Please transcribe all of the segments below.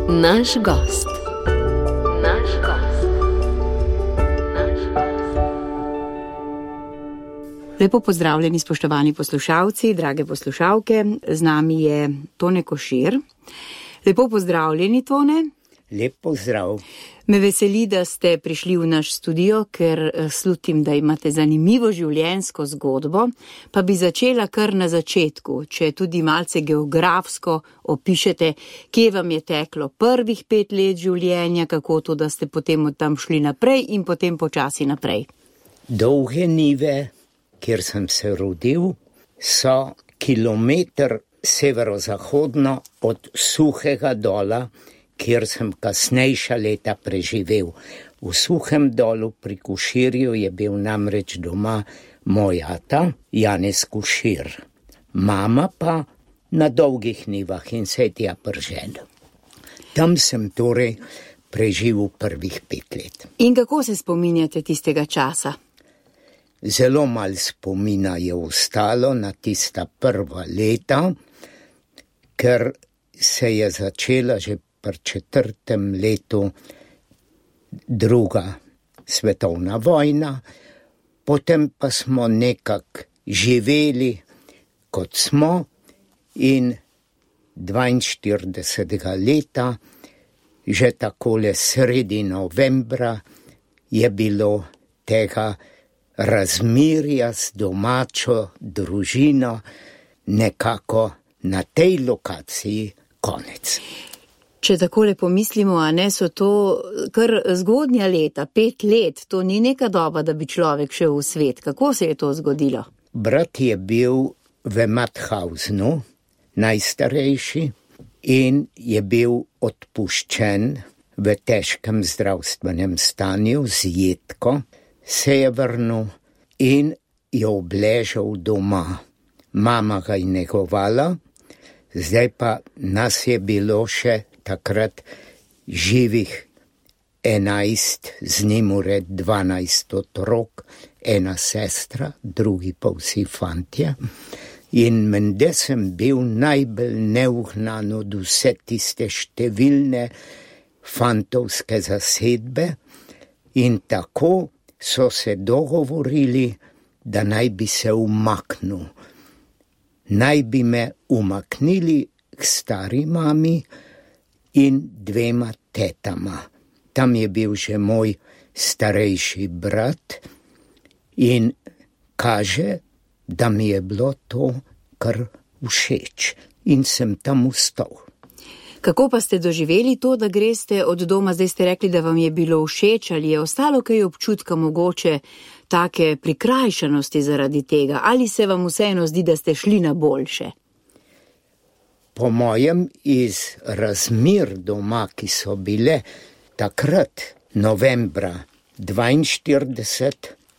Naš gost. Lepo pozdravljeni, spoštovani poslušalci, drage poslušalke. Z nami je Tone Košir. Lepo pozdravljeni, Tone. Lep pozdrav. Me veseli, da ste prišli v naš studio, ker slutim, da imate zanimivo življenjsko zgodbo, pa bi začela kar na začetku, če tudi malce geografsko opišete, kje vam je teklo prvih 5 let življenja, kako to, da ste potem od tam šli naprej in potem počasi naprej. Dolge Nive, kjer sem se rodil, so kilometer severozahodno od Suhega Dola, kjer sem kasnejša leta preživel. V Suhem Dolu pri Koširju je bil namreč doma moj ata, Janez Košir. Mama pa na Dolgih Nivah in se je tja pržena. Tam sem torej preživel prvih 5 let. In kako se spominjate tistega časa? Zelo malo spomina je ostalo na tista prva leta, ker se je začela že pri 4. letu druga svetovna vojna, potem pa smo nekako živeli, kot smo, in 42. leta, že takole sredi novembra, je bilo tega razmerja z domačo družino nekako na tej lokaciji konec. Če takole pomislimo, a ne, so to kar zgodnja leta, 5 let, to ni neka doba, da bi človek šel v svet. Kako se je to zgodilo? Brat je bil v Mathausenu, najstarejši, in je bil odpuščen v težkem zdravstvenem stanju z jedko, se je vrnil in je obležal doma. Mama ga je negovala, zdaj pa nas je bilo še takrat živih 11, z njim ured 12 otrok, ena sestra, drugi pa vsi fantje. In menda sem bil najbolj neugnan od vse tiste številne fantovske zasedbe in tako so se dogovorili, da naj bi se umaknil. Naj bi me umaknili k stari mami in 2 tetama. Tam je bil že moj starejši brat in kaže, da mi je bilo to kar všeč in sem tam ustal. Kako pa ste doživeli to, da greste od doma? Zdaj ste rekli, da vam je bilo všeč, ali je ostalo kaj občutka mogoče take prikrajšanosti zaradi tega, ali se vam vseeno zdi, da ste šli na boljše? Po mojem, iz razmer doma, ki so bile takrat novembra 42,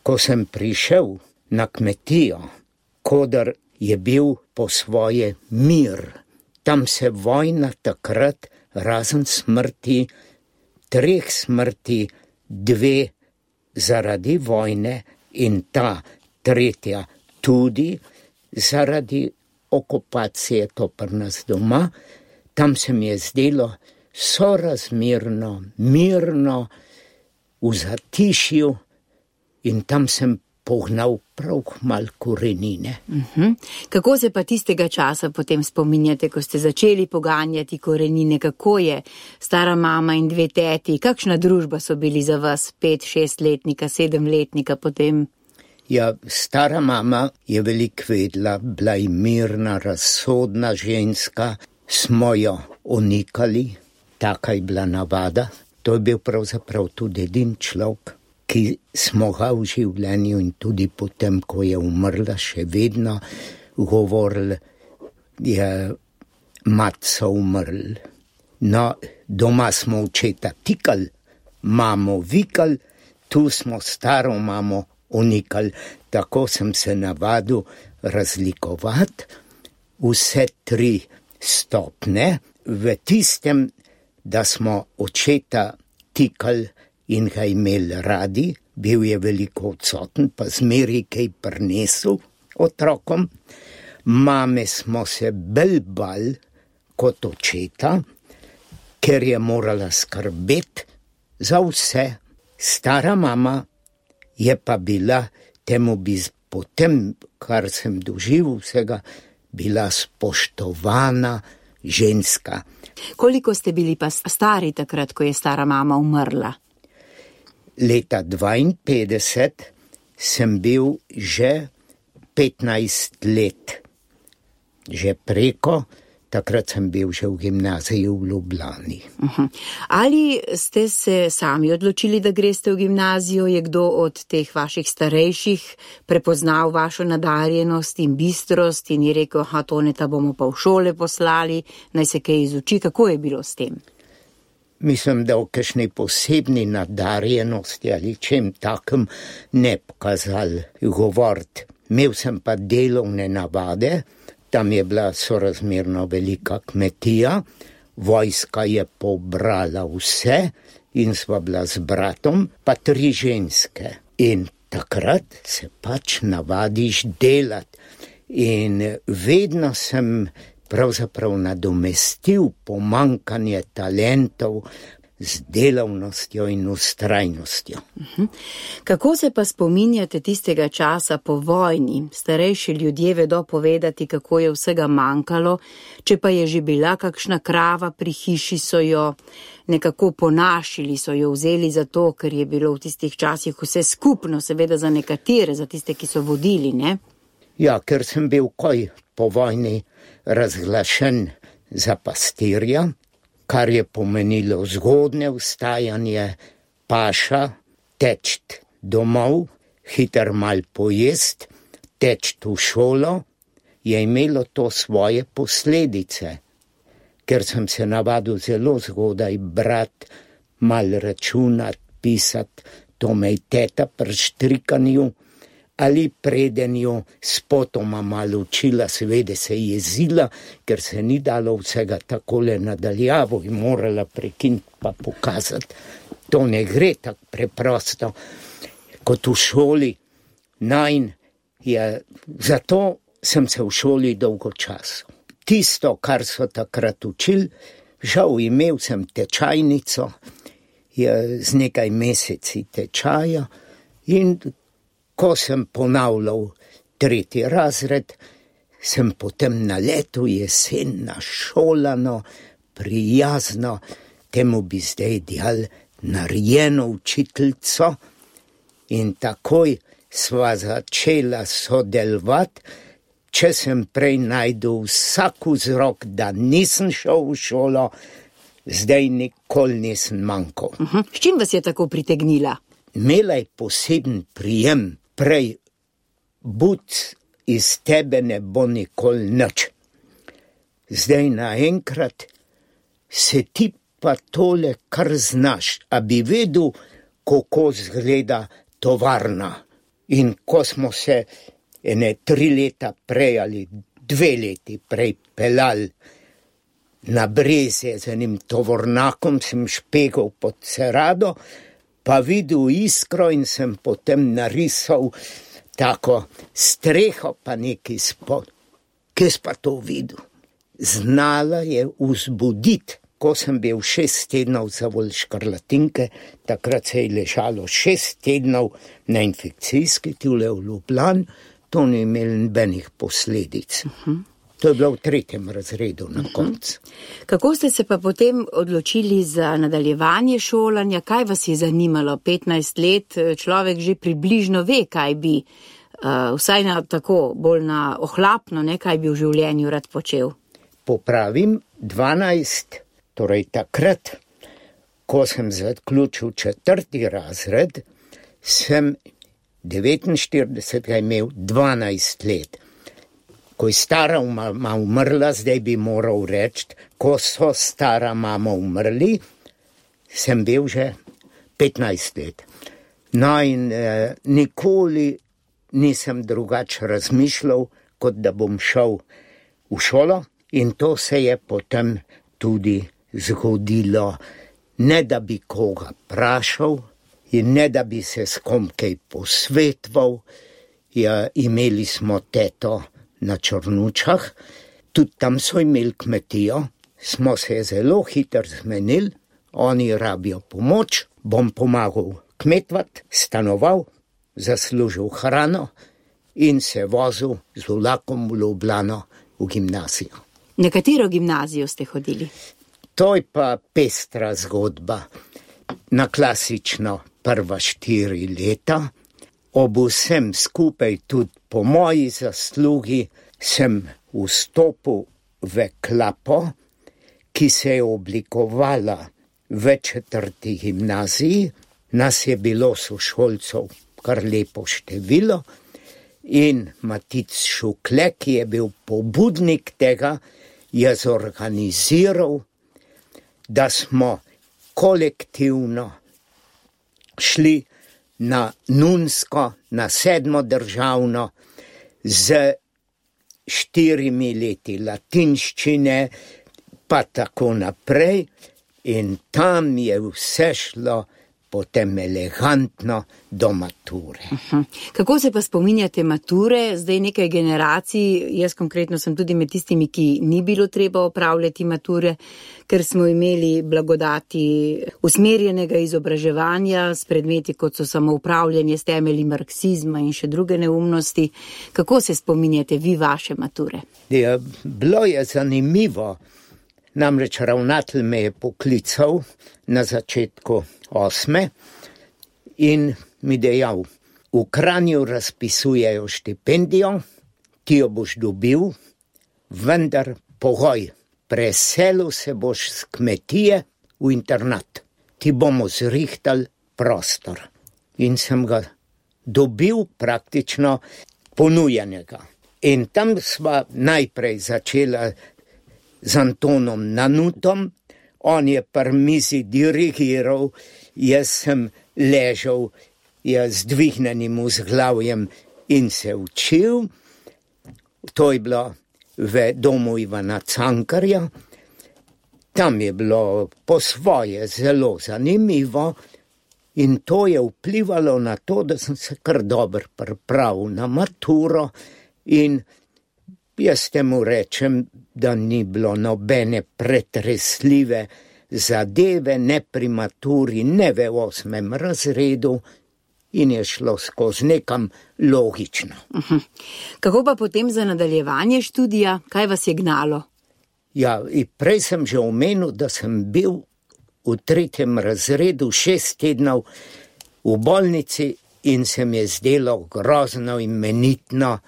ko sem prišel na kmetijo, kodar je bil po svoje mir. Tam se vojna takrat, razen smrti, 3 smrti, 2 zaradi vojne in ta 3. tudi zaradi okupacije, to pri nas doma, tam se mi je zdelo sorazmerno, mirno, v zatišju in tam sem pognal prav malo korenine. Kako se pa tistega časa potem spominjate, ko ste začeli poganjati korenine? Kako je stara mama in 2 teti? Kakšna družba so bili za vas, 5-6-letnika, 7-letnika potem? Ja, stara mama je veliko vedela, bila je mirna, razsodna ženska, smo jo onikali, taka je bila navada. To je bil pravzaprav tudi edin človek, ki smo ga v življenju in tudi potem, ko je umrla, še vedno govorili, je matca umrl. No, doma smo očeta tikali, mamo vikali, tu smo staro mamo unikali. Tako sem se navadil razlikovati vse 3 stopne v tistem, da smo očeta tikali in ga imeli radi, bil je veliko odsoten, pa zmeraj kaj prinesel otrokom. Mame smo se bolj bali kot očeta, ker je morala skrbeti za vse. Stara mama je pa bila, temu bi potem, kar sem doživel vsega, bila spoštovana ženska. Koliko ste bili pa stari takrat, ko je stara mama umrla? Leta 52 sem bil že 15 let. Že preko, takrat sem bil že v gimnaziji v Ljubljani. Ali ste se sami odločili, da greste v gimnazijo? Je kdo od teh vaših starejših prepoznal vašo nadarjenost in bistrost in je rekel, Toneta bomo pa v šole poslali, naj se kaj izuči? Kako je bilo s tem? Mislim, da o kakšnej posebni nadarjenosti ali čem takem ne pokazali govoriti. Imel sem pa delovne navade, tam je bila sorazmerno velika kmetija, vojska je pobrala vse in sva bila z bratom, pa 3 ženske. In takrat se pač navadiš delati. In vedno sem pravzaprav nadomestil pomanjkanje talentov z delavnostjo in vztrajnostjo. Kako se pa spominjate tistega časa po vojni? Starejši ljudje vedo povedati, kako je vsega manjkalo, če pa je že bila kakšna krava pri hiši, so jo nekako ponašili, so jo vzeli zato, ker je bilo v tistih časih vse skupno, seveda za nekatere, za tiste, ki so vodili, ne? Ja, ker sem bil po vojni razglašen za pastirja, kar je pomenilo zgodne vstajanje, paša, teči domov, hiter mal pojest, teči v šolo, je imelo to svoje posledice. Ker sem se navadil zelo zgodaj brati, mal računati, pisati, to me je teta pri štrikanju ali predenju spotoma malo učila, seveda se je jezila, ker se ni dalo vsega takole nadaljavo in morala prekiniti pa pokazati. To ne gre tako preprosto kot v šoli. Zato sem se v šoli dolgo časa. Tisto, kar so takrat učili, žal imel sem tečajnico, z nekaj meseci tečaja in ko sem ponavljal 3. razred, sem potem naletel jesena šolano, prijazno, temu bi zdaj dejali narejeno učiteljico in takoj sva začela sodelovati, če sem prej najdel vsak vzrok, da nisem šel v šolo, zdaj nikoli nisem manjkal. S čim vas je tako pritegnila? Imela je poseben prijem. Prej, buc iz tebe ne bo nikoli nič. Zdaj naenkrat se ti pa tole kar znaš, a bi vedel, kako izgleda tovarna. In ko smo se 3 leta prej ali 2 leti prej pelali na Brezje z enim tovornakom, sem špegal pod Cerado, pa videl iskro in sem potem narisal tako streho pa neki spod. Kje si pa to videl? Znala je vzbuditi. Ko sem bil 6 tednov zavolj škrlatinke, takrat se je ležalo 6 tednov na infekcijski tule v Ljubljani, to ni imelo nobenih posledic. To je bilo v 3. razredu na koncu. Kako ste se pa potem odločili za nadaljevanje šolanja? Kaj vas je zanimalo? 15 let človek že približno ve, kaj bi, vsaj na tako bolj na ohlapno, ne, kaj bi v življenju rad počel. Popravim, 12, torej takrat, ko sem zaključil 4. razred, sem 49 imel 12 let. Ko je stara mama umrla, zdaj bi moral reči, ko so stara mama umrli, sem bil že 15 let. No in nikoli nisem drugače razmišljal, kot da bom šel v šolo in to se je potem tudi zgodilo. Ne da bi koga vprašal in ne da bi se s kom kaj posvetoval, imeli smo teto na Črnučah, tudi tam so imeli kmetijo, smo se zelo hitro zmenili, oni rabijo pomoč, bom pomagal kmetovat, stanoval, zaslužil hrano in se vozil z vlakom v Ljubljano v gimnazijo. Na katero gimnazijo ste hodili? To je pa pestra zgodba. Na klasično prva 4 leta, ob vsem skupaj tudi po moji zaslugi sem vstopil v klapo, ki se je oblikovala v 4. gimnaziji. Nas je bilo sošolcev kar lepo število in Matic Šukle, ki je bil pobudnik tega, je zorganiziral, da smo kolektivno šli na Nunsko, na 7. državno z 4 leti latinščine, pa tako naprej, in tam je vse šlo potem elegantno do mature. Kako se pa spominjate mature? Zdaj nekaj generacij, jaz konkretno sem tudi med tistimi, ki ni bilo treba opravljati mature, ker smo imeli blagodati usmerjenega izobraževanja s predmeti, kot so samoupravljanje s temelji marksizma in še druge neumnosti. Kako se spominjate vi vaše mature? Ja, bilo je zanimivo. Namreč ravnatelj me je poklical na začetku 8. in mi dejal, v Kranju razpisujejo štipendijo, ti jo boš dobil, vendar pogoj, preselil se boš z kmetije v internat. Ti bomo zrihtali prostor. In sem ga dobil praktično ponujenega. In tam sva najprej začela z Antonom Nanutom, on je pri mizi dirigiral, jaz sem ležal z dvignenim vzglavjem in se učil. To je bilo v domu Ivana Cankarja. Tam je bilo po svoje zelo zanimivo in to je vplivalo na to, da sem se kar dobro pripravil na maturo in jaz temu rečem, da ni bilo nobene pretresljive zadeve, ne pri maturi, ne v 8. razredu in je šlo skozi nekam logično. Kako pa potem za nadaljevanje študija? Kaj vas je gnalo? Ja, in prej sem že omenil, da sem bil v 3. razredu 6 tednov v bolnici in se mi je zdelo grozno imenitno,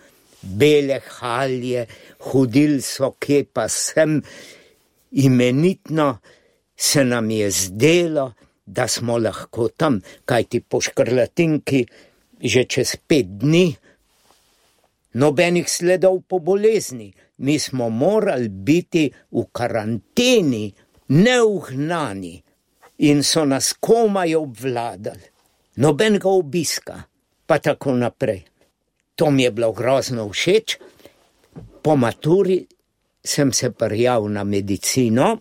bele halje, hodili so kje pa sem, imenitno se nam je zdelo, da smo lahko tam, kajti po škrlatinki že čez 5 dni nobenih sledov po bolezni. Mi smo morali biti v karanteni, neugnani in so nas komaj obvladali. Nobenega obiska, pa tako naprej. To mi je bilo grozno všeč. Po maturi sem se prijavil na medicino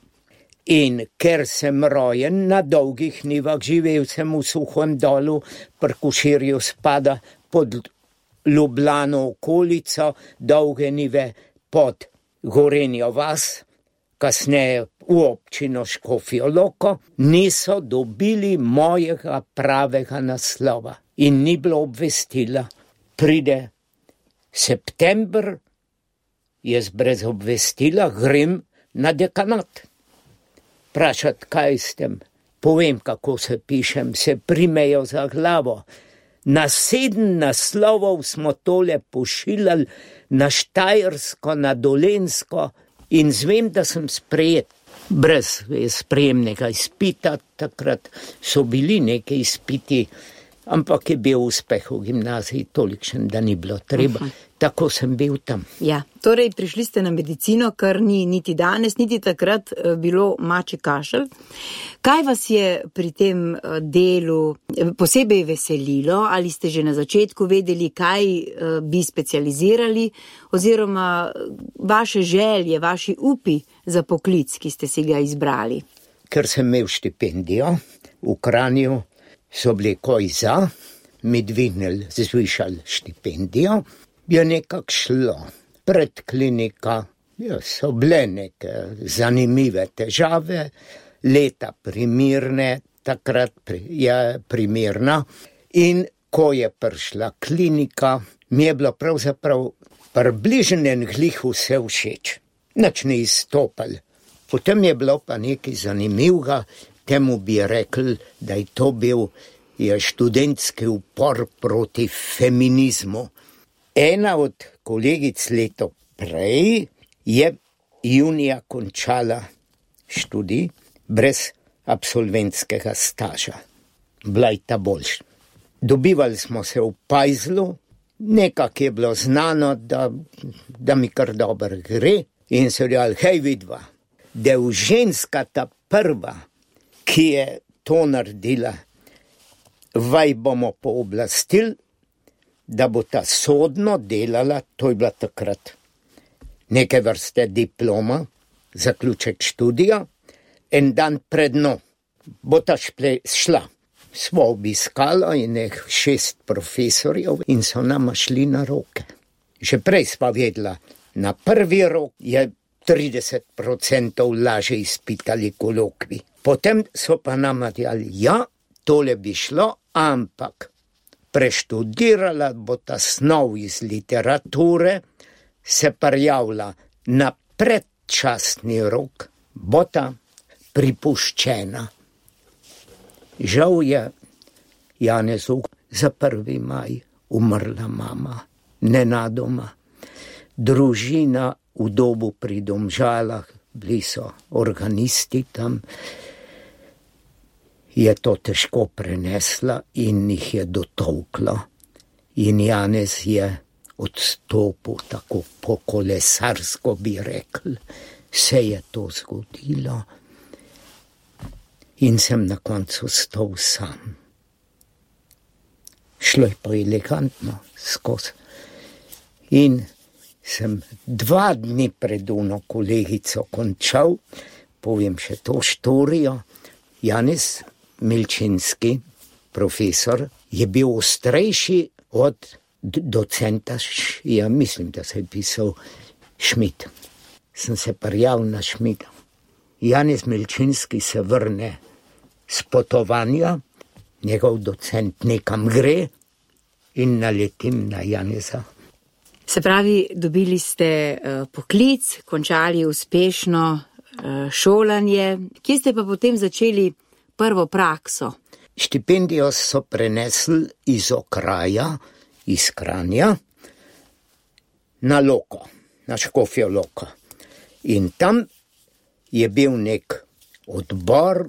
in ker sem rojen na Dolgih Nivah, živel sem v Suhem Dolu, pri Koširju spada pod Ljubljano okolico, Dolge Nive pod Gorenjo vas, kasneje v občino Škofjo Loko, niso dobili mojega pravega naslova in ni bilo obvestila. Pride september, jaz brez obvestila grem na dekanat. Vprašati, kaj s tem? Povem, kako se pišem, se primejo za glavo. Na 7 naslovov smo tole pošiljali na Štajersko, na Dolenjsko in zvem, da sem sprejet. Brez sprejemnega izpita, takrat so bili neki izpiti, ampak je bil uspeh v gimnaziji tolikšen, da ni bilo treba. Tako sem bil tam. Ja, torej prišli ste na medicino, kar ni niti danes, niti takrat bilo mačji kašelj. Kaj vas je pri tem delu posebej veselilo? Ali ste že na začetku vedeli, kaj bi specializirali, oziroma vaše želje, vaši upi za poklic, ki ste si ga izbrali? Ker sem imel štipendijo v Kranju, so bili koj za, mi dvignili, zvišali štipendijo, je nekako šlo. Predklinika, Ja, so bile neke zanimive težave, leta primirne, takrat je primirna. In ko je prišla klinika, mi je bilo pravzaprav približno glih vse všeč. Nič ni izstopal. Potem je bilo pa nekaj zanimivega, temu bi rekli, da je to bil študentski upor proti feminizmu. Ena od kolegic leto prej je junija končala študij brez absolventskega staža. Bila je ta boljša. Dobivali smo se v Pajzlu, nekako je bilo znano, da mi kar dobro gre in so rekli, hej vidva, da je ženska ta prva, ki je to naredila, vaj bomo pooblastili, da bo ta sodno delala, to je bila takrat neke vrste diploma, zaključek študija, en dan pred njo bo ta šla. Smo obiskala in 6 profesorjev in so nama šli na roke. Že prej sva vedela, na prvi rok je 30% lažje izpitali kolokvi. Potem so pa nama dejali, ja, tole bi šlo, ampak preštudirala bo ta snov iz literature, se prijavila na predčasni rok, bo ta pripuščena. Žal je Janezu za 1. maj umrla mama, nenadoma. Družina v Dobu pri Domžalah, bili so organisti tam, je to težko prenesla in jih je dotolkla. In Janez je odstopil tako po kolesarsko, bi rekli, se je to zgodilo. In sem na koncu stal sam. Šlo je pa elegantno skozi. In sem 2 dni pred ono kolegico končal, povem še to štorijo. Janez Milčinski, profesor, je bil ostrejši od docenta, ja mislim, da se je pisal Šmit. Sem se prijavil na Šmita. Janez Milčinski se vrne s potovanja, njegov docent nekam gre in naletim na Janeza. Se pravi, dobili ste poklic, končali uspešno šolanje. Kje ste pa potem začeli prvo prakso? Štipendijo so prenesli iz okraja, iz Kranja, na Loko, na Škofjo Loko. In tam je bil nek odbor,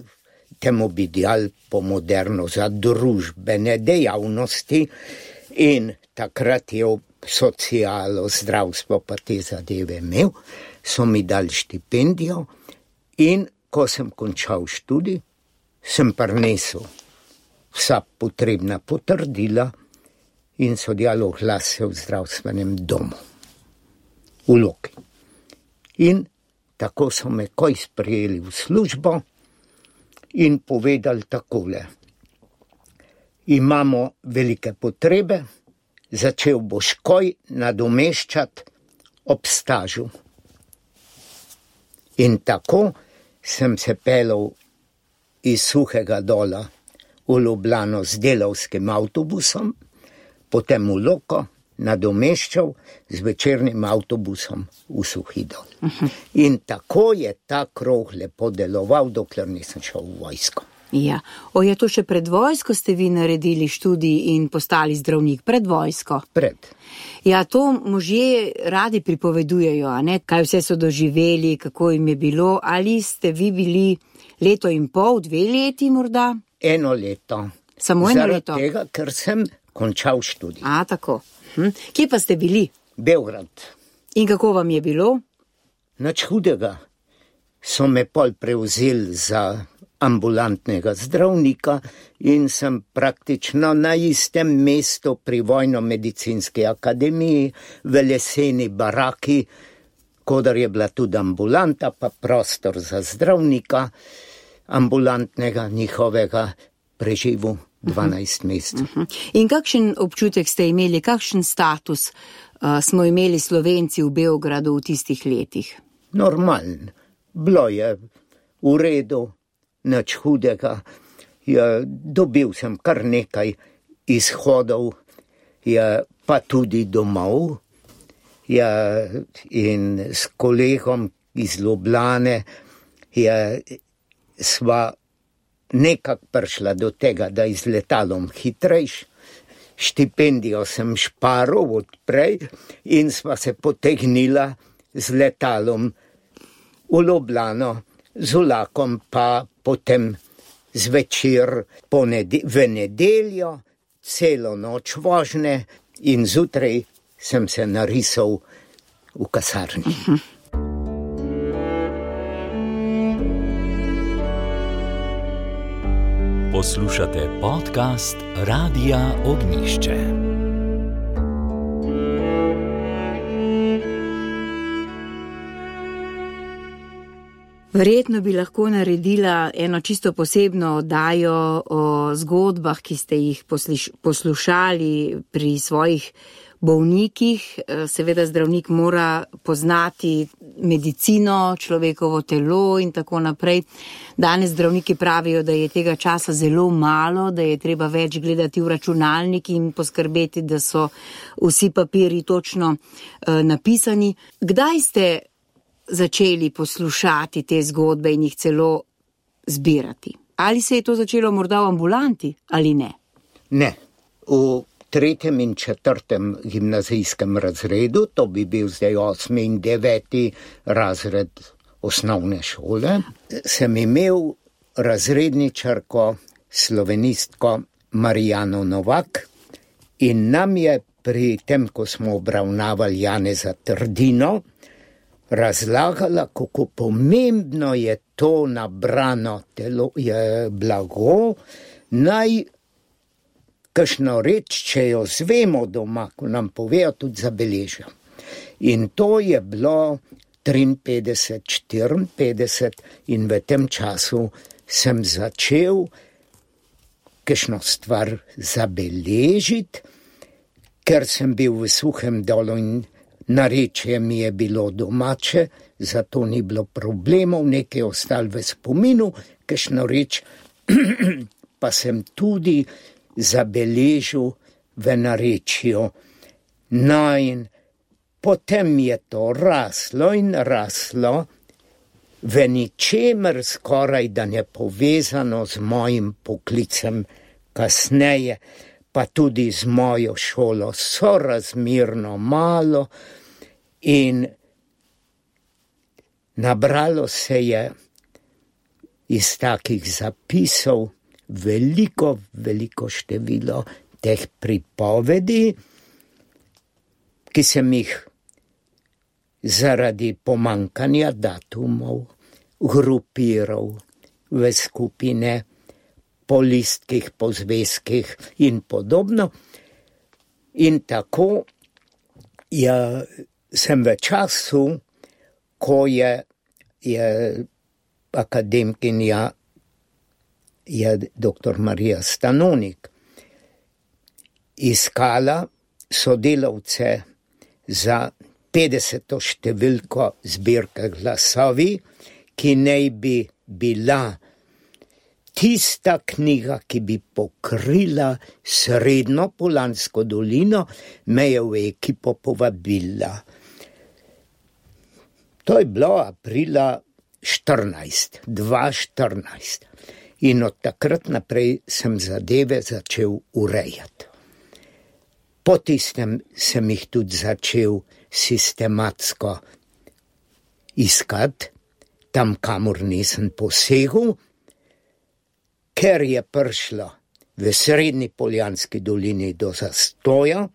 temu bi dejali po moderno, za družbene dejavnosti in takrat je socialo, zdravstvo pa te zadeve imel, so mi dali štipendijo in ko sem končal študij, sem prinesel vsa potrebna potrdila in so dejali oglas se v zdravstvenem domu v Loki. In tako so me koj sprejeli v službo in povedali takole. Imamo velike potrebe, začel boš koj nadomeščati ob stažu. In tako sem se pelal iz Suhega Dola v Ljubljano z delavskim avtobusom, potem v Loko nadomeščal z večernim avtobusom v Suhi Dol. In tako je ta krog lepo deloval, dokler nisem šel v vojsko. Ja, je to še pred vojsko ste vi naredili študij in postali zdravnik pred vojsko? Pred. Ja, to možje radi pripovedujejo, a ne? Kaj vse so doživeli, kako jim je bilo, ali ste vi bili 1,5 leta, 2 leti morda? 1 leto. Samo 1 leto? Zaradi tega, ker sem končal študij. A, tako. Kje pa ste bili? Beograd. In kako vam je bilo? Nič hudega. So me pol prevzeli za ambulantnega zdravnika in sem praktično na istem mestu pri Vojno-medicinski akademiji v leseni baraki, kodar je bila tudi ambulanta, pa prostor za zdravnika ambulantnega njihovega, preživel 12 mesecev. In kakšen občutek ste imeli, kakšen status smo imeli Slovenci v Beogradu v tistih letih? Normalen. Bilo je v redu, nič hudega. Dobil sem kar nekaj izhodov, pa tudi domov. In s kolegom iz Ljubljane sva nekako prišla do tega, da z letalom hitrejš. Štipendijo sem šparil odprej in sva se potegnila z letalom v Ljubljano, z vlakom pa potem zvečer v nedeljo, celo noč vožnje in zjutraj sem se narisal v kasarni. Poslušate podcast Radia Ognjišče. Verjetno bi lahko naredila eno čisto posebno oddajo o zgodbah, ki ste jih poslušali pri svojih bolnikih. Seveda zdravnik mora poznati medicino, človekovo telo in tako naprej. Danes zdravniki pravijo, da je tega časa zelo malo, da je treba več gledati v računalnik in poskrbeti, da so vsi papiri točno napisani. Kdaj ste začeli poslušati te zgodbe in jih celo zbirati? Ali se je to začelo morda v ambulanti ali ne? Ne. V 3. in 4. gimnazijskem razredu, to bi bil zdaj 8. in 9. razred osnovne šole, sem imel razredničarko, slovenistko Marijano Novak in nam je pri tem, ko smo obravnavali Janeza Trdino, razlagala, kako pomembno je to nabrano telo, je blago, naj kakšno reč, če jo zvemo doma, ko nam povejo, tudi zabeležijo. In to je bilo 53, 54 in v tem času sem začel kakšno stvar zabeležiti, ker sem bil v Suhem Dolu in narečje mi je bilo domače, zato ni bilo problemov, nekaj ostalo v spominu, kakšno reč pa sem tudi zabeležil v narečju. No in potem je to raslo in raslo, v ničemer skoraj da ne povezano z mojim poklicem kasneje, pa tudi z mojo šolo sorazmerno malo in nabralo se je iz takih zapisov veliko število teh pripovedi, ki sem jih zaradi pomankanja datumov grupiral v skupine, po listkih, po zvezkih in podobno. In tako sem v času, ko je akademkinja je dr. Marija Stanonik iskala sodelavce za 50. številko zbirke Glasovi, ki naj bi bila tista knjiga, ki bi pokrila srednjo Polansko dolino, me je v ekipo povabila. To je bilo aprila 2014. In od takrat naprej sem zadeve začel urejati. Po tistem sem jih tudi začel sistematsko iskati, tam kamor nisem posegel, ker je prišlo v srednji Poljanski dolini do zastoja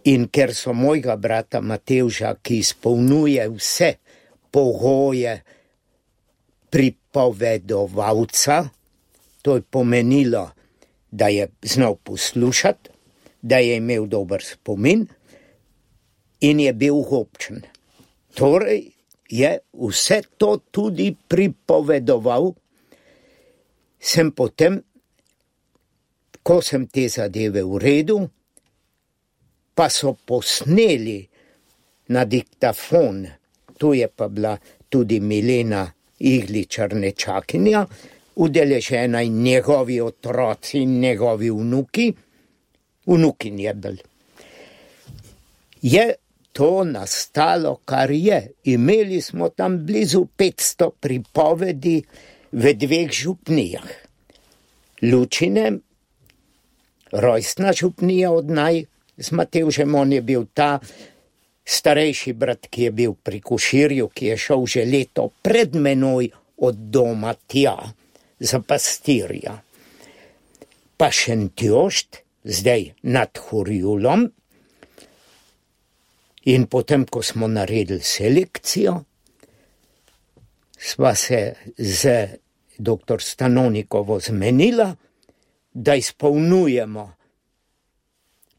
in ker so mojega brata Matevža, ki izpolnjuje vse pogoje pripovedovalca, to je pomenilo, da je znal poslušati, da je imel dober spomin in je bil gobčen. Torej je vse to tudi pripovedoval, sem potem, ko sem te zadeve uredil, pa so posneli na diktafon, tu je pa bila tudi Milena Igličar nečakinja, udeležena in njegovi otroci in njegovi vnukin je bil. Je to nastalo, kar je. Imeli smo tam blizu 500 pripovedi v 2 župnijah. Lučine, rojstna župnija od naj, z Matevžem, on je bil ta starejši brat, ki je bil pri Koširju, ki je šel že leto pred menoj od doma tja, za pastirja. Pa Šentjošt, zdaj nad Horjulom, in potem, ko smo naredili selekcijo, sva se z dr. Stanonikovo zmenila, da izpolnjujemo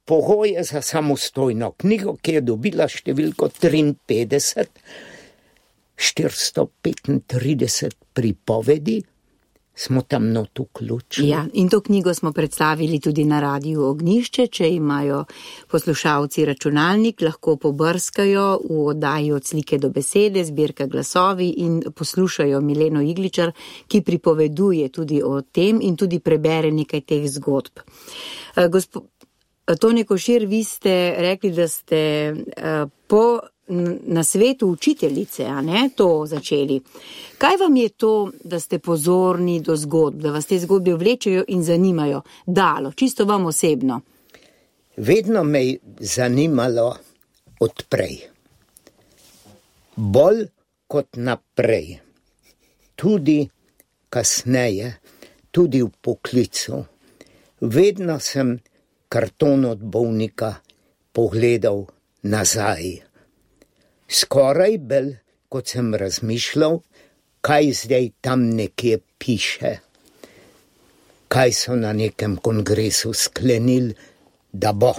pogoje za samostojno knjigo, ki je dobila številko 53, 435 pripovedi, smo tam not vključili. Ja, in to knjigo smo predstavili tudi na Radiu Ognjišče. Če imajo poslušalci računalnik, lahko pobrskajo v oddaji Od slike do besede, zbirka Glasovi, in poslušajo Mileno Igličar, ki pripoveduje tudi o tem in tudi prebere nekaj teh zgodb. Tonja Košir, vi ste rekli, da ste na svetu učiteljice, a ne, to začeli. Kaj vam je to, da ste pozorni do zgodb, da vas te zgodbe vlečejo in zanimajo, dalo, čisto vam osebno? Vedno me je zanimalo odprej. Bolj kot naprej. Tudi kasneje, tudi v poklicu. Vedno sem karton od bolnika pogledal nazaj. Skoraj bolj, kot sem razmišljal, kaj zdaj tam nekje piše. Kaj so na nekem kongresu sklenili, da bo.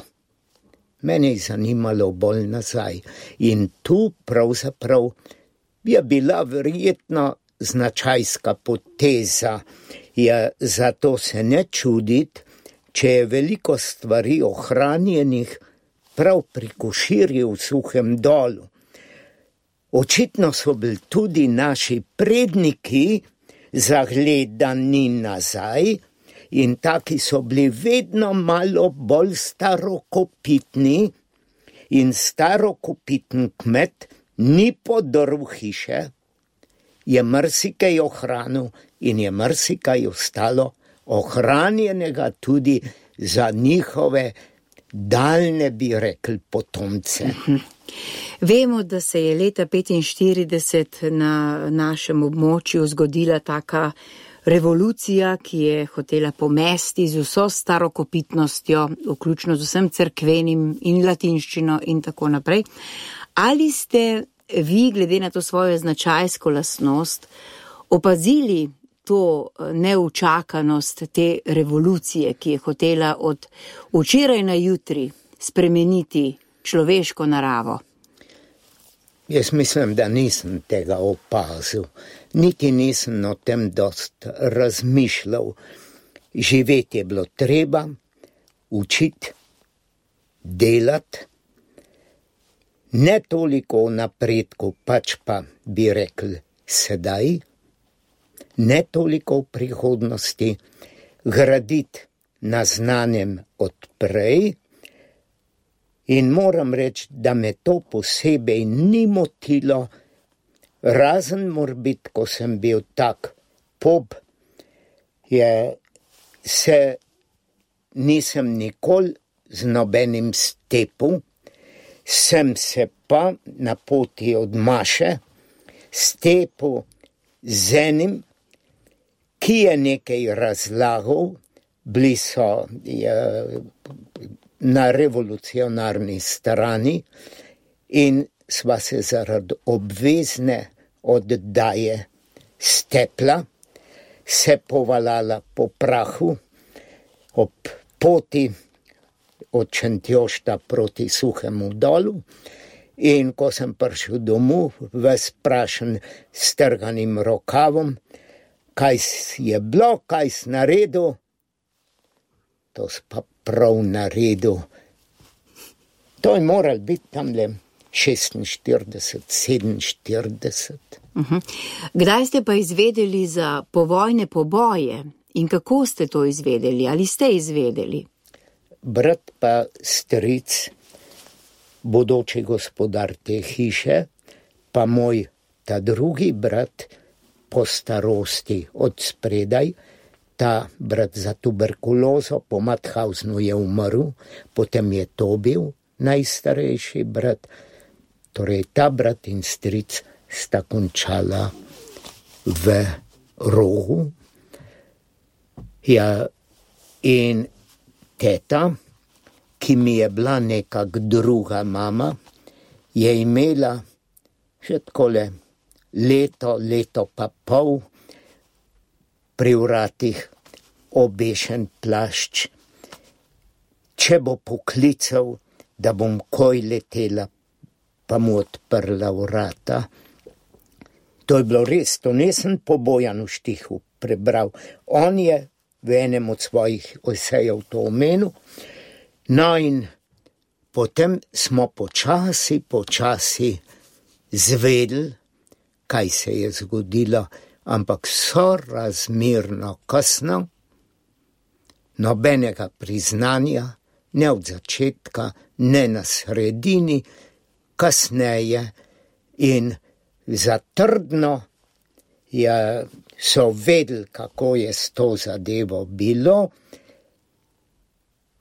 Mene je zanimalo bolj nazaj. In tu pravzaprav je bila verjetno značajska poteza. Zato se ne čuditi, če je veliko stvari ohranjenih prav pri Koširju v Suhem Dolu. Očitno so bili tudi naši predniki zagledani nazaj in taki so bili vedno malo bolj starokopitni in starokopiten kmet ni podrl hiše, je marsikaj ohranil in je marsikaj ostalo ohranjenega tudi za njihove daljne, bi rekli, potomce. Vemo, da se je leta 1945 na našem območju zgodila taka revolucija, ki je hotela pomesti z vso starokopitnostjo, vključno z vsem cerkvenim in latinščino in tako naprej. Ali ste vi, glede na to svojo značajsko lastnost, opazili to neučakanost te revolucije, ki je hotela od včeraj na jutri spremeniti človeško naravo? Jaz mislim, da nisem tega opazil. Niti nisem o tem dost razmišljal. Živeti je bilo treba, učiti, delati. Ne toliko o napredku, pač pa bi rekli sedaj. Ne toliko v prihodnosti, graditi na znanjem odprej. In moram reči, da me to posebej ni motilo, razen morbit, ko sem bil tak pop, nisem nikoli z nobenim stepil, sem se pa na poti od Maše stepil z enim, ki je nekaj razlagal, bili so na revolucionarni strani in sva se zaradi obvezne oddaje stepla, se povalala po prahu ob poti od Šentjošta proti Suhemu Dolu, in ko sem prišel domov, ves prašen strganim rokavom, kaj je bilo, kaj si naredil, to si pa prav naredil. To je moral biti tamle 46, 47. Kdaj ste pa izvedeli za povojne poboje in kako ste to izvedeli? Ali ste izvedeli? Brat pa stric, bodoči gospodar te hiše, pa moj ta drugi brat po starosti od spredaj, ta brat za tuberkulozo po Mauthausenu je umrl, potem je to bil najstarejši brat, torej ta brat in stric sta končala v Rogu. Ja, in teta, ki mi je bila nekak druga mama, je imela še takole leto pa pol pri vratih obešen plašč. Če bo poklical, da bom koj letela, pa mu odprla vrata. To je bilo res, to nisem po Bojanu Štihu prebral. On je v enem od svojih esejev to omenil. No in potem smo počasi zvedeli, kaj se je zgodilo, ampak sorazmerno kasno, nobenega priznanja, ne od začetka, ne na sredini, kasneje in zatrdno so vedeli, kako je s to zadevo bilo,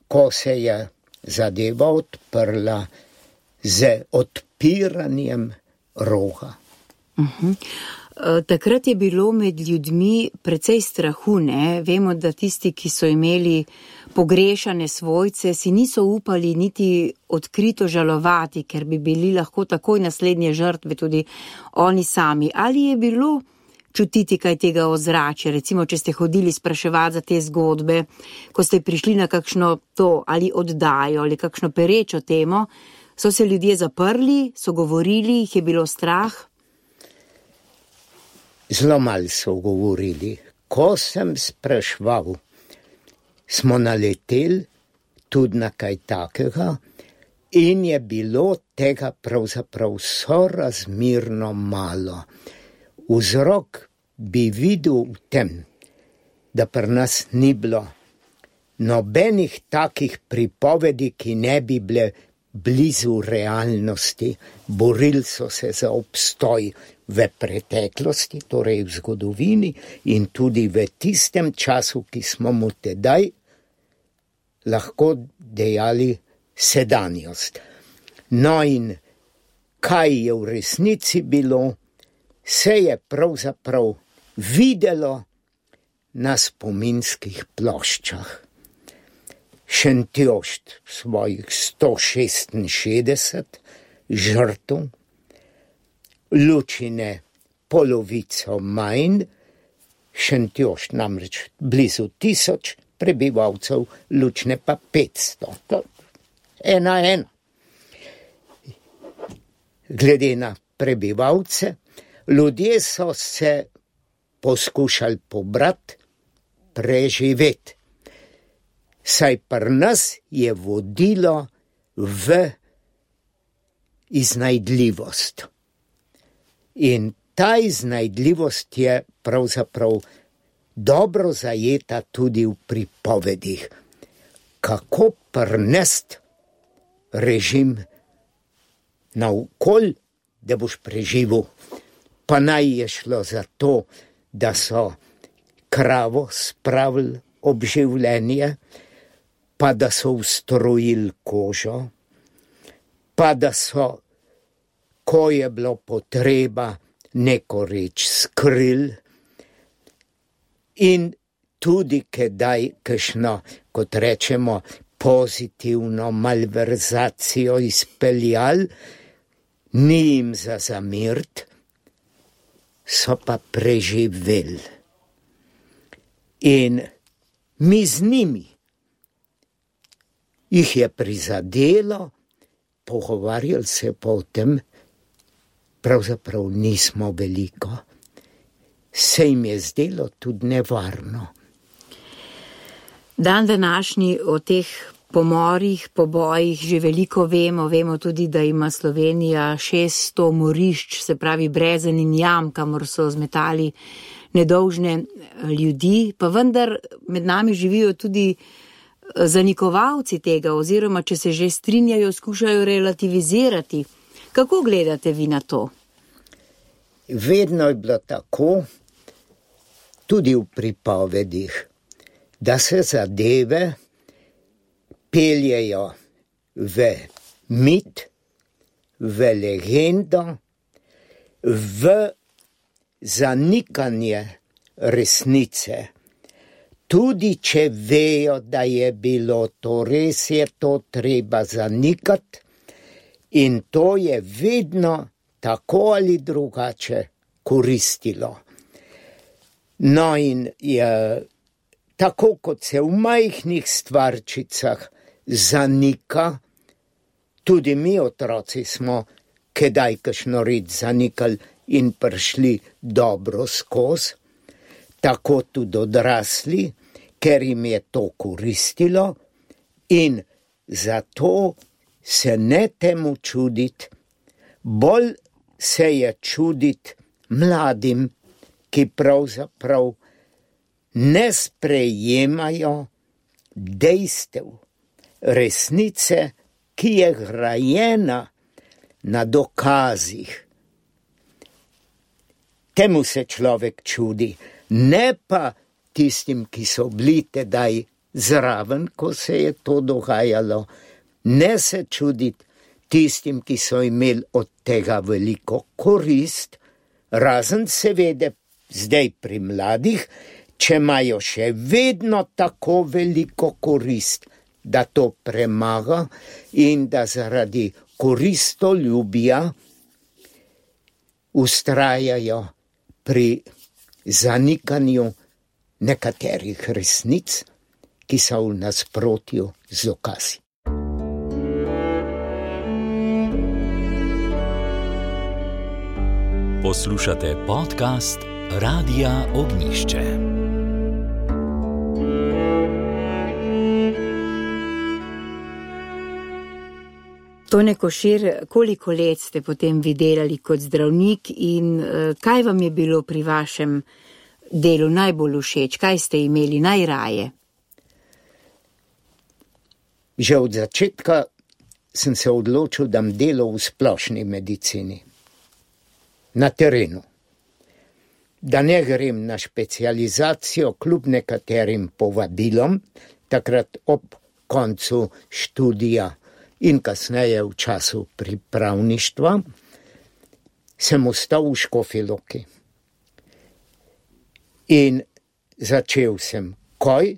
ko se je zadeva odprla z odpiranjem Roga. Takrat je bilo med ljudmi precej strahu, ne? Vemo, da tisti, ki so imeli pogrešane svojce, si niso upali niti odkrito žalovati, ker bi bili lahko takoj naslednje žrtve tudi oni sami. Ali je bilo čutiti kaj tega ozračja, recimo, če ste hodili spraševati za te zgodbe, ko ste prišli na kakšno to ali oddajo ali kakšno perečo temo, so se ljudje zaprli, so govorili, jih je bilo strah? Zelo malo so govorili. Ko sem spraševal, smo naleteli tudi na kaj takega in je bilo tega pravzaprav sorazmerno malo. Vzrok bi videl v tem, da pri nas ni bilo nobenih takih pripovedi, ki ne bi bile blizu realnosti. Borili so se za obstoj v preteklosti, torej v zgodovini in tudi v tistem času, ki smo mu tedaj lahko dejali sedanjost. No in kaj je v resnici bilo, se je pravzaprav videlo na spominskih ploščah. Šentjošt svojih 166 žrtev, Lučine polovico manj, Šentjošt namreč blizu 1000 prebivalcev, Lučine pa 500. To 1:1. Glede na prebivalce, ljudje so se poskušali pobrati, preživeti. Saj pri nas je vodilo v iznajdljivost. In ta iznajdljivost je pravzaprav dobro zajeta tudi v pripovedih. Kako prinesti režim naokoli, da boš preživel. Pa naj je šlo za to, da so kravo spravili ob življenje, pa da so ustrojili kožo, pa da so, ko je bilo potreba, neko reč skrili in tudi kdaj kakšno, kot rečemo, pozitivno malverzacijo izpeljali, ni jim za zameriti, so pa preživeli. In mi z njimi jih je prizadelo, pogovarjali se pa o tem, pravzaprav nismo veliko. Se jim je zdelo tudi nevarno. Dan današnji o teh pomorih, pobojih že veliko vemo. Vemo tudi, da ima Slovenija 600 morišč, se pravi brezen in jam, kamor so zmetali nedolžne ljudi, pa vendar med nami živijo tudi zanikovalci tega, oziroma če se že strinjajo, skušajo relativizirati. Kako gledate vi na to? Vedno je bilo tako, tudi v pripovedih, da se zadeve peljejo v mit, v legendo, v zanikanje resnice. Tudi če vejo, da je bilo to res, je to treba zanikati in to je vedno tako ali drugače koristilo. No in je, tako kot se v majhnih stvarčicah zanika, tudi mi otroci smo kdaj kakšno reč zanikali in prišli dobro skozi, tako tudi odrasli, ker jim je to koristilo in zato se ne temu čuditi, bolj se je čuditi mladim, ki pravzaprav ne sprejemajo dejstev, resnice, ki je grajena na dokazih. Temu se človek čudi, ne pa tistim, ki so bili tedaj zraven, ko se je to dogajalo, ne se čuditi tistim, ki so imeli od tega veliko korist, razen seveda zdaj pri mladih, če imajo še vedno tako veliko korist, da to premaga in da zaradi koristoljubja vztrajajo pri zanikanju nekaterih resnic, ki so v nasprotju z dokazi. Poslušate podcast Radia Ognjišče. Tone Košir, koliko let ste potem vi delali kot zdravnik in kaj vam je bilo pri vašem delu najbolj všeč? Kaj ste imeli najraje? Že od začetka sem se odločil, da bom delal v splošni medicini. Na terenu. Da ne grem na specializacijo kljub nekaterim povabilom, takrat ob koncu študija in kasneje v času pripravništva, sem ostal v Škofji Loki. In začel sem Koj,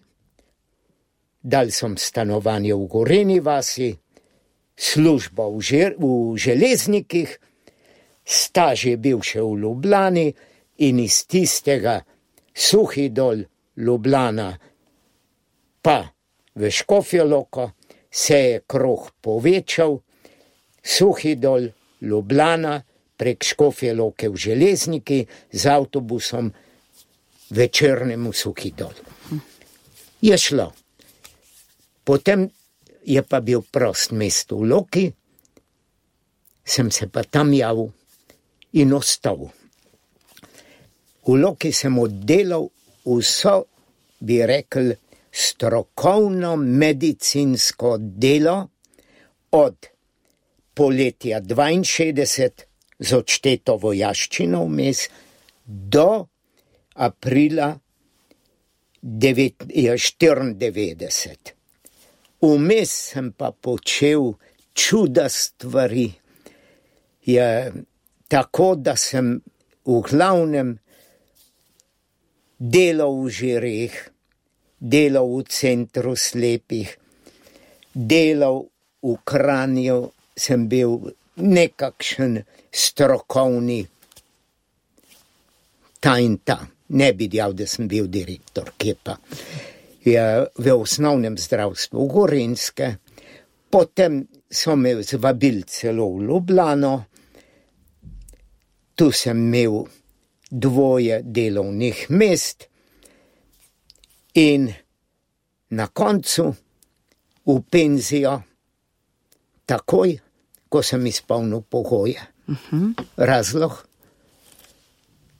dal sem stanovanje v Gorenji vasi, službo v železnikih, staž je bil še v Ljubljani in iz tistega Suhi Dol, Ljubljana, pa v Škofjo Loko se je krog povečal, Suhi Dol, Ljubljana, prek Škofje Loke v železniki, z avtobusom večernemu Suhi Dol. Je šlo. Potem je pa bil prost mesto v Loki, sem se pa tam javil in ostal. V Loki sem oddelal vso, bi rekel, strokovno medicinsko delo od poletja 62 z odšteto vojaščino vmes do aprila 94. Vmes sem pa počel čuda stvari. Je tako, da sem v glavnem delal v Žireh, delal v centru slepih, delal v Kranju, sem bil nekakšen strokovni ta in ta. Ne bi dejal, da sem bil direktor, kje pa. V osnovnem zdravstvu v Gorenjske, potem so me zvabili celo v Ljubljano, tu sem imel 2 delovnih mest in na koncu v penzijo takoj, ko sem izpolnil pogoje. Razlog?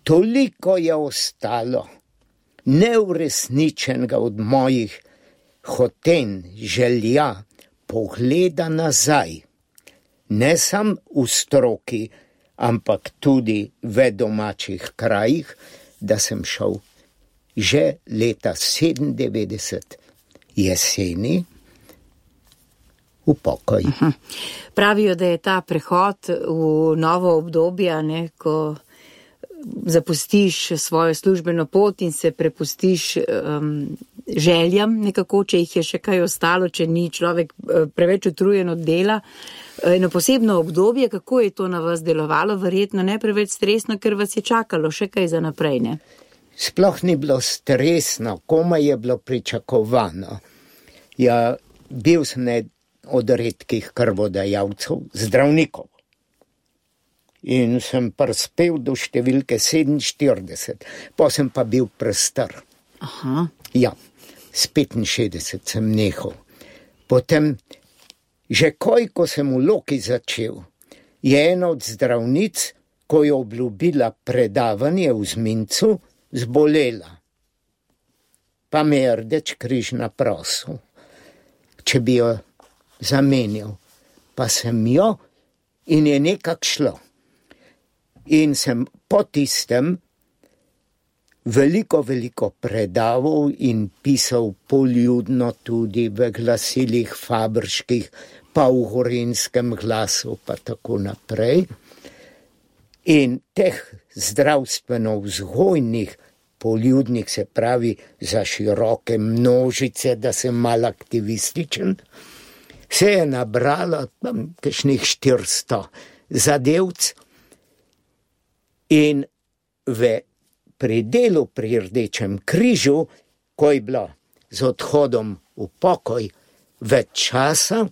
Toliko je ostalo neuresničenega od mojih hotenj, želja, pogleda nazaj. Ne sam v stroki, ampak tudi v domačih krajih, da sem šel že leta 97 jeseni v pokoj. Pravijo, da je ta prehod v novo obdobje, ko zapustiš svojo službeno pot in se prepustiš željam nekako, če jih je še kaj ostalo, če ni človek preveč utrujen od dela. Eno posebno obdobje, kako je to na vas delovalo, verjetno ne preveč stresno, ker vas je čakalo še kaj za naprej, ne? Sploh ni bilo stresno, komaj je bilo pričakovano. Ja, bil sem od redkih krvodajalcev, zdravnikov. In sem prispel do številke 47, pa sem pa bil prestar. Ja, s 65 sem nehal. Potem, že ko sem v Loki začel, je ena od zdravnic, ko je obljubila predavanje v Zmincu, zbolela. Pa me je Rdeč križ naprosil, če bi jo zamenjal. Pa sem jo in je nekako šlo. In sem po tistem veliko predaval in pisal poljudno tudi v glasilih fabrških, pa v Gorenjskem glasu, pa tako naprej. In teh zdravstveno-vzgojnih poljudnih, se pravi za široke množice, da sem mal aktivističen, se je nabralo kakšnih 400 zadevc. In pri delu pri Rdečem križu, ko je bilo z odhodom v pokoj več časa,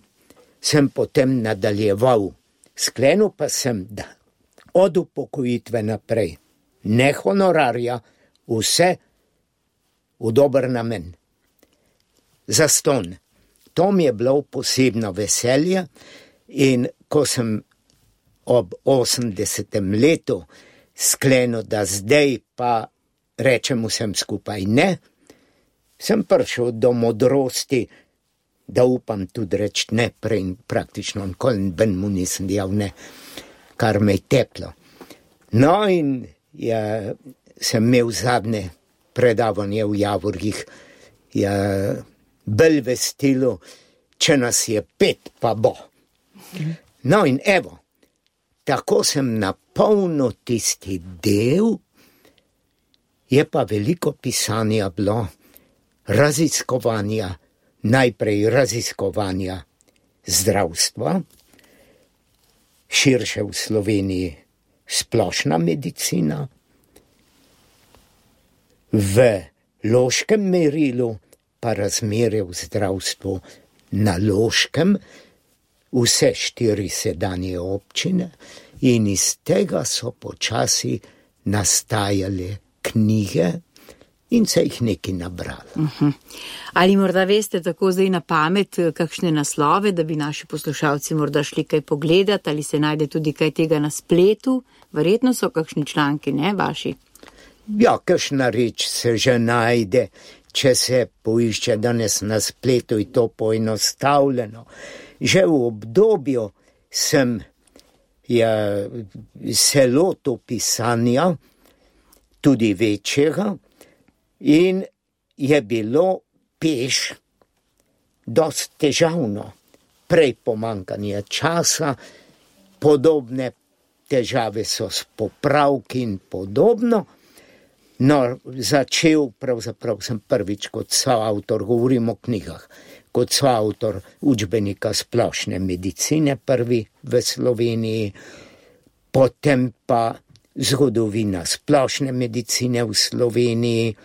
sem potem nadaljeval. Sklenil pa sem, da od upokojitve naprej, ne honorarja, vse v dober namen. Zastonj. To mi je bilo posebno veselje in ko sem ob 80. letu sklenil, da zdaj pa rečem vsem skupaj ne, sem prišel do modrosti, da upam tudi reči ne, prej praktično nikoli ben mu nisem dejal ne, kar me je teplo. No in sem imel zadnje predavanje v Javorgih, bolj v stilu, če nas je 5, pa bo. No in evo, tako sem napolnil tisti del, je pa veliko pisanja bilo, raziskovanja, najprej raziskovanja zdravstva, širše v Sloveniji splošna medicina, v loškem merilu pa razmerje v zdravstvu na Loškem, vse 4 sedanje občine, in iz tega so počasi nastajale knjige in se jih nekaj nabralo. Ali morda veste tako zdaj na pamet kakšne naslove, da bi naši poslušalci morda šli kaj pogledati, ali se najde tudi kaj tega na spletu? Verjetno so kakšni članki, ne, vaši? Ja, kakšna reč se že najde, če se poišče danes na spletu, je to poenostavljeno. Že v obdobju sem se lotil pisanja, tudi večjega, in je bilo peš dosti težavno. Prej pomanjkanje časa, podobne težave so s popravki in podobno. No, pravzaprav sem prvič kot soavtor, govorim o knjigah, kot soavtor učbenika splošne medicine, prvi v Sloveniji, potem pa zgodovina splošne medicine v Sloveniji,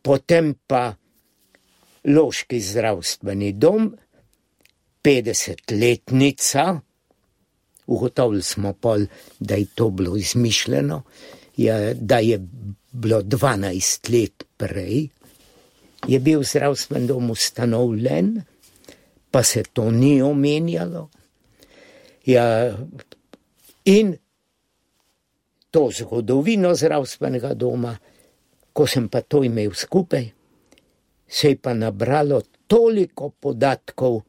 potem pa Loški zdravstveni dom, 50-letnica, ugotovili smo pol, da je to bilo izmišljeno, da je bilo 12 let prej, je bil zdravstven dom ustanovljen, pa se to ni omenjalo. Ja, in to zgodovino zdravstvenega doma, ko sem pa to imel skupaj, se je pa nabralo toliko podatkov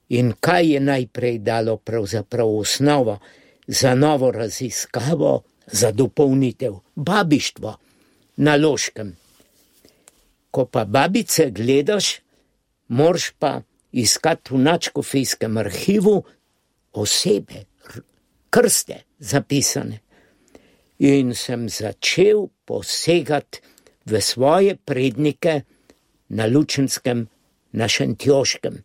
in kaj je najprej dalo pravzaprav osnovo za novo raziskavo, za dopolnitev, babištvo na Loškem. Ko pa babice gledaš, moraš pa iskati v nadškofijskem arhivu osebe, krste zapisane. In sem začel posegati v svoje prednike na Lučenskem, na Šentjoškem.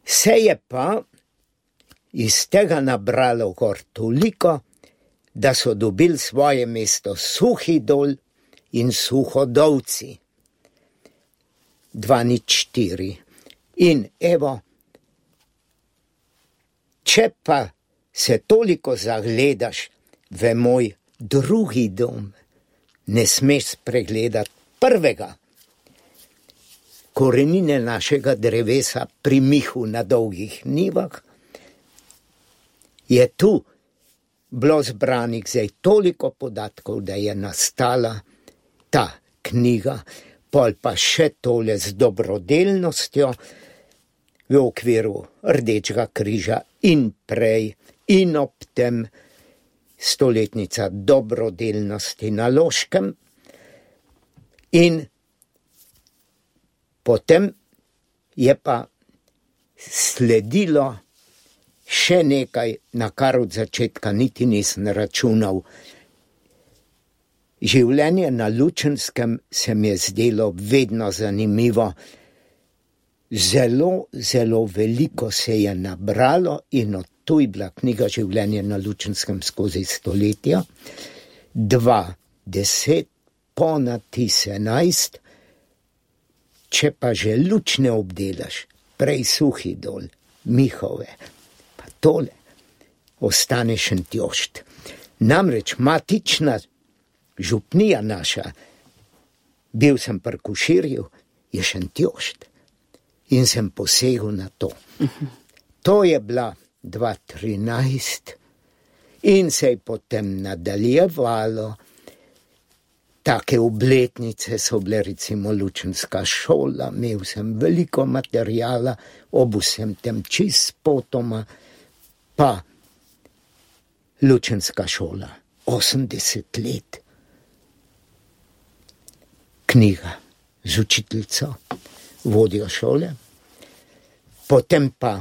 Se je pa iz tega nabralo gor toliko, da so dobili svoje mesto Suhi Dol in Suhodolci. 204. In evo, če pa se toliko zagledaš v moj drugi dom, ne smeš spregledati prvega. Korenine našega drevesa pri Mihu na Dolgih Nivah je tu bilo zbranih zdaj toliko podatkov, da je nastala ta knjiga, pol pa še tole z dobrodelnostjo v okviru Rdečega križa in prej in ob tem stoletnica dobrodelnosti na Loškem. In potem je pa sledilo še nekaj, na kar od začetka niti nisem računal. Življenje na Lučenskem se mi je zdelo vedno zanimivo. Zelo, zelo veliko se je nabralo in od tu je bila knjiga Življenje na Lučenskem skozi stoletja. 2010, ponad 11, če pa že Luč ne obdelaš, prej Suhi Dol, Mihove, pa tole, ostane Šentjošt. Namreč matična župnija naša, bil sem pri Koširju, je Šentjošt in sem posegel na to. To je bila 2013 in se je potem nadaljevalo. Take obletnice so bile recimo Lučenska šola, imel sem veliko materijala, ob vsem tem čist spotoma, pa Lučenska šola, 80 let. Knjiga z učiteljico, vodjo šole, potem pa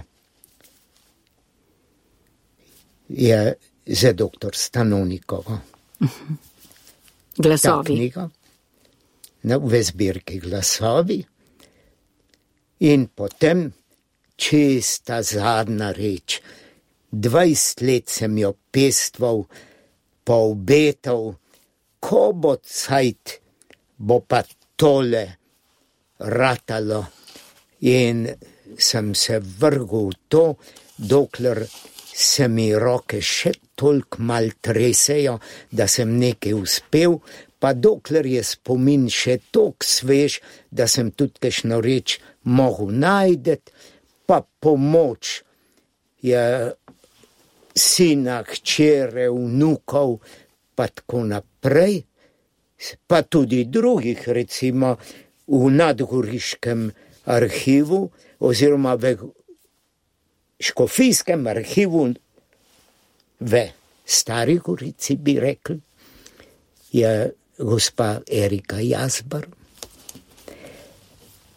je za doktor Stanovnikovo. Glasovi. Ta knjiga, v zbirki Glasovi. In potem čista zadnja reč. 20 let sem jo pestval, pa obetal, ko bo cajt, bo pa tole ratalo. In sem se vrgel v to, dokler se mi roke še toliko mal tresejo, da sem nekaj uspel, pa dokler je spomin še toliko svež, da sem tudi kakšno reč mogel najdeti, pa pomoč je sina, hčere, vnukov, pa tako naprej, pa tudi drugih, recimo v Nadgoriškem arhivu, oziroma v Škofijskem arhivu v Stari Gorici, bi rekli, je gospa Erika Jazbar.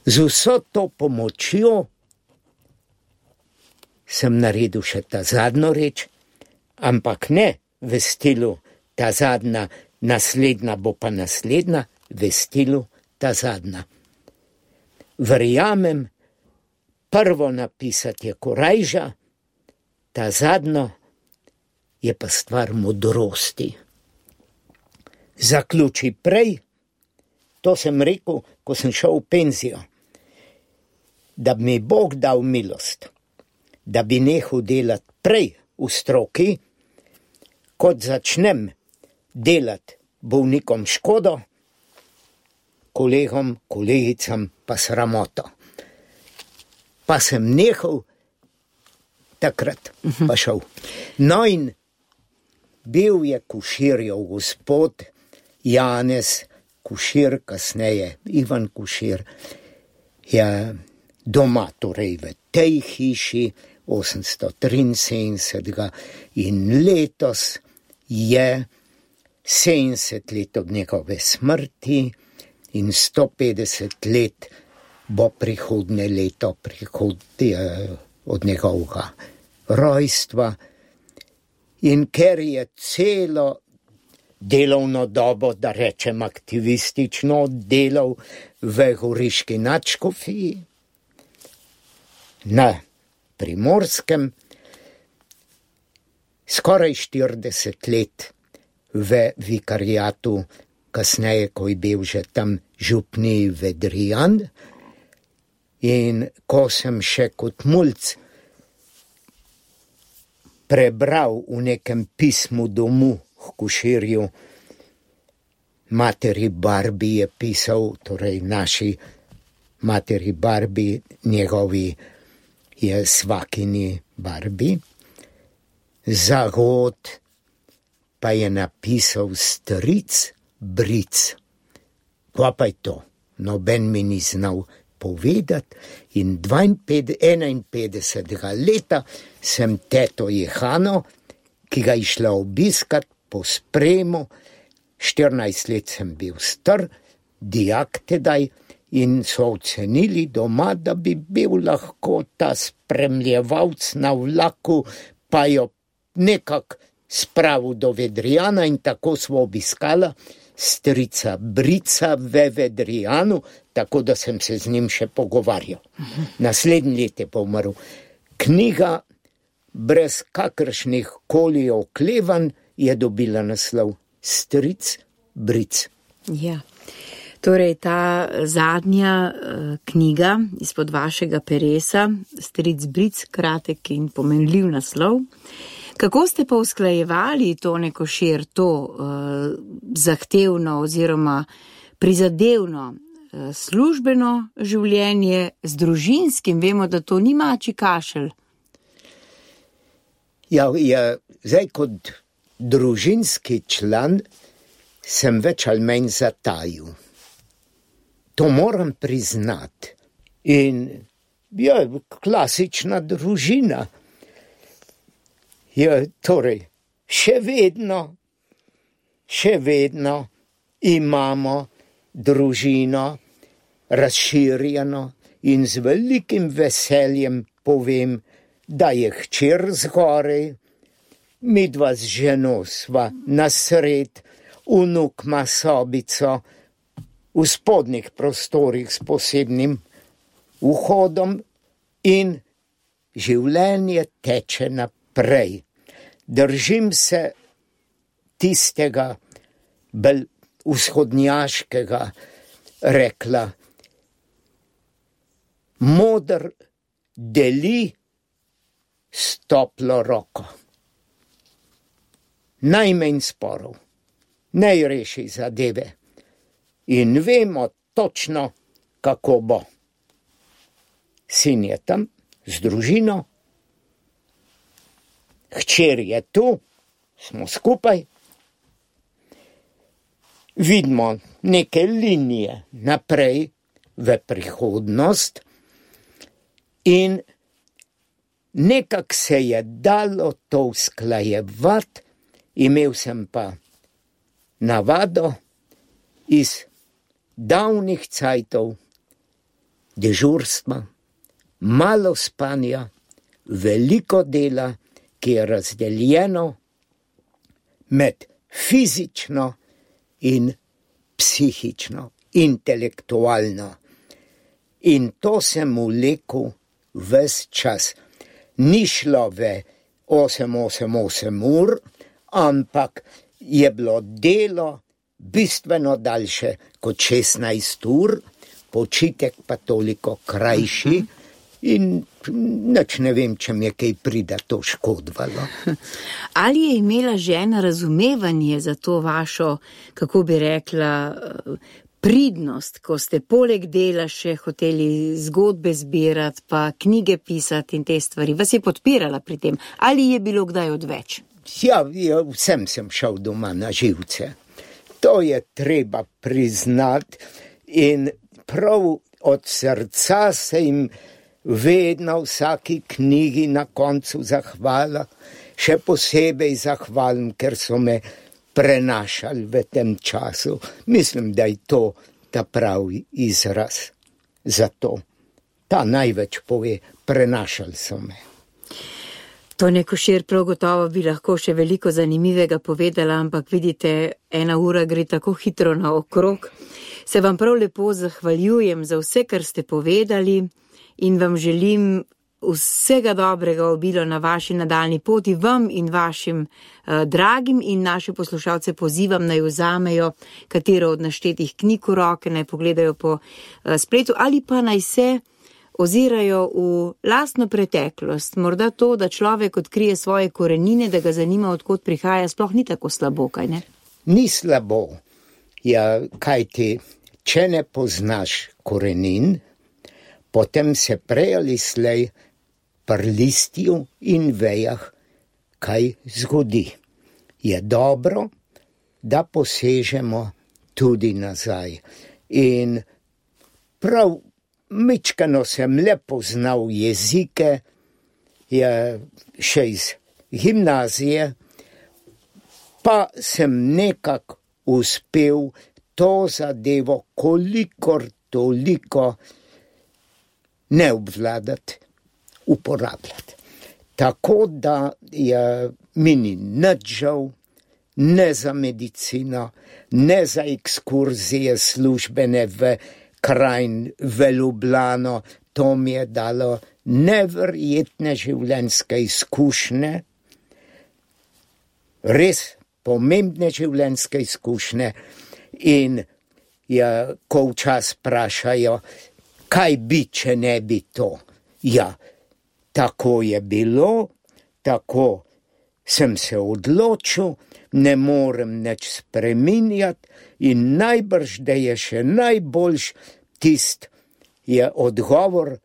Z vso to pomočjo sem naredil še ta zadnjo reč, ampak ne v stilu ta zadnja, naslednja bo pa naslednja, v stilu ta zadnja. Verjamem, prvo napisati je korajža, ta zadnjo je pa stvar modrosti. Zaključi prej, to sem rekel, ko sem šel v penzijo, da bi mi Bog dal milost, da bi nehal delati prej v stroki, kot začnem delati bolnikom škodo, kolegom, kolegicam pa sramoto. Pa sem nehal takrat pa šel. No in bil je Koširjev gospod Janez Košir, kasneje Ivan Košir, je doma, torej v tej hiši 873 in letos je 70 let od njegove smrti in 150 let bo prihodnje leto od njegovega rojstva. In ker je celo delovno dobo, da rečem aktivistično, delal v Goriški nadškofiji na Primorskem, skoraj 40 let v vikariatu, kasneje, ko je bil že tam župni Vedrijan, in ko sem še kot mulc prebral v nekem pismu domu k Koširju, materi Barbi je pisal, torej naši materi Barbi, njegovi je svakini Barbi, zagod pa je napisal stric Bric. Kva pa je to? Noben mi ni znal povedati in 51. leta sem teto Jehano, ki ga je šla obiskat po spremu, 14 let sem bil star, dijak tedaj, in so ocenili doma, da bi bil lahko ta spremljevalc na vlaku, pa jo nekak spravil do Vedrijana in tako smo obiskala strica Brica v Vedrijanu, tako da sem se z njim še pogovarjal. Naslednji let je pa umrl. Knjiga brez kakršnih koli oklevanj je dobila naslov Stric Bric. Ja. Torej, ta zadnja knjiga izpod vašega peresa, Stric Bric, kratek in pomenljiv naslov. Kako ste pa usklajevali Tone Košir, to zahtevno oziroma prizadevno službeno življenje z družinskim? Vemo, da to ni mačji kašelj. Ja, zdaj kot družinski član sem več ali manj zatajil. To moram priznati. In ja, klasična družina. Ja, torej, še vedno imamo družino razširjeno in z velikim veseljem povem, da je hčer zgoraj, midva z ženo sva nasred, vnuk ima sobico v spodnjih prostorih s posebnim vhodom in življenje teče naprej. Držim se tistega bolj vzhodnjaškega rekla. Moder deli s toplo roko. Najmanj sporov, naj reši zadeve in vemo točno, kako bo. Sin je tam z družino, hčer je tu, smo skupaj, vidimo neke linije naprej v prihodnost in nekak se je dalo to usklajevati. Imel sem pa navado iz davnih cajtov, dežurstva, malo spanja, veliko dela, ki je razdeljeno med fizično in psihično, intelektualno. In to sem vlekel ves čas. Ni šlo v 8 ur, ampak je bilo delo bistveno daljše kot 16 ur, počitek pa toliko krajši in nič ne vem, če mi je kaj prida to škodovalo. Ali je imela žena razumevanje za to vašo, kako bi rekla, pridnost, ko ste poleg dela še hoteli zgodbe zbirati, pa knjige pisati in te stvari, vas je podpirala pri tem? Ali je bilo kdaj odveč? Ja, vsem sem šel doma na živce. To je treba priznati in prav od srca se jim vedno vsaki knjigi na koncu zahvala. Še posebej zahvalim, ker so me prenašali v tem času. Mislim, da je to ta pravi izraz za to. Ta največ pove, prenašali so me. Tone Košir, prav gotovo bi lahko še veliko zanimivega povedala, ampak vidite, 1 ura gre tako hitro naokrog. Se vam prav lepo zahvaljujem za vse, kar ste povedali in vam želim vsega dobrega obilo na vaši nadaljni poti, vam in vašim dragim, in naše poslušalce pozivam, naj vzamejo katero od naštetih knjig v roke, naj pogledajo po spletu ali pa naj se ozirajo v lastno preteklost. Morda to, da človek odkrije svoje korenine, da ga zanima, odkot prihaja, sploh ni tako slabo, kaj ne? Ni slabo. Ja, kaj ti, če ne poznaš korenin, potem se prej ali slej pri listju in vejah kaj zgodi. Je dobro, da posežemo tudi nazaj. In prav mičkano sem le poznal jezike, še iz gimnazije, pa sem nekako uspel to zadevo kolikor toliko ne obvladati, uporabljati. Tako da mi ni nič žal, ne za medicino, ne za ekskurzije službene v krajin, v Ljubljano. To mi je dalo neverjetne življenjske izkušnje, res pomembne življenjske izkušnje. In ko včasih vprašajo, kaj bi, če ne bi to? Ja, tako je bilo, tako sem se odločil, ne morem nič spreminjati in najbrž, da je še najboljš je odgovor,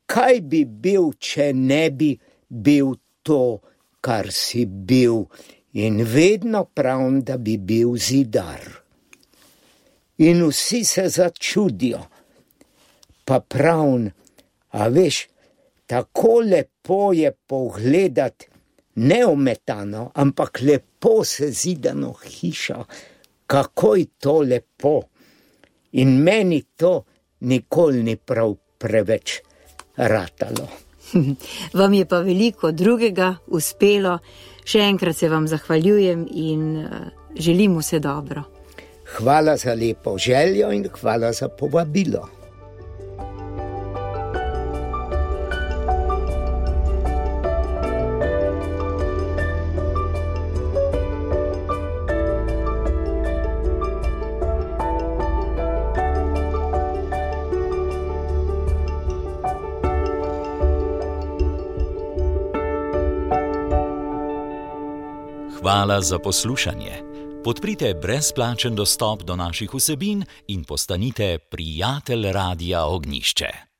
kaj bi bil, če ne bi bil to, kar si bil. In vedno pravim, da bi bil zidar. In vsi se začudijo. Pa pravim, a veš, tako lepo je pogledati neometano, ampak lepo sezidano hišo, kako je to lepo. In meni to nikoli ni prav preveč ratalo. Vam je pa veliko drugega uspelo. Še enkrat se vam zahvaljujem in želim vse dobro. Hvala za lepo željo in hvala za povabilo. Hvala za poslušanje. Podprite brezplačen dostop do naših vsebin in postanite prijatelj Radia Ognjišče.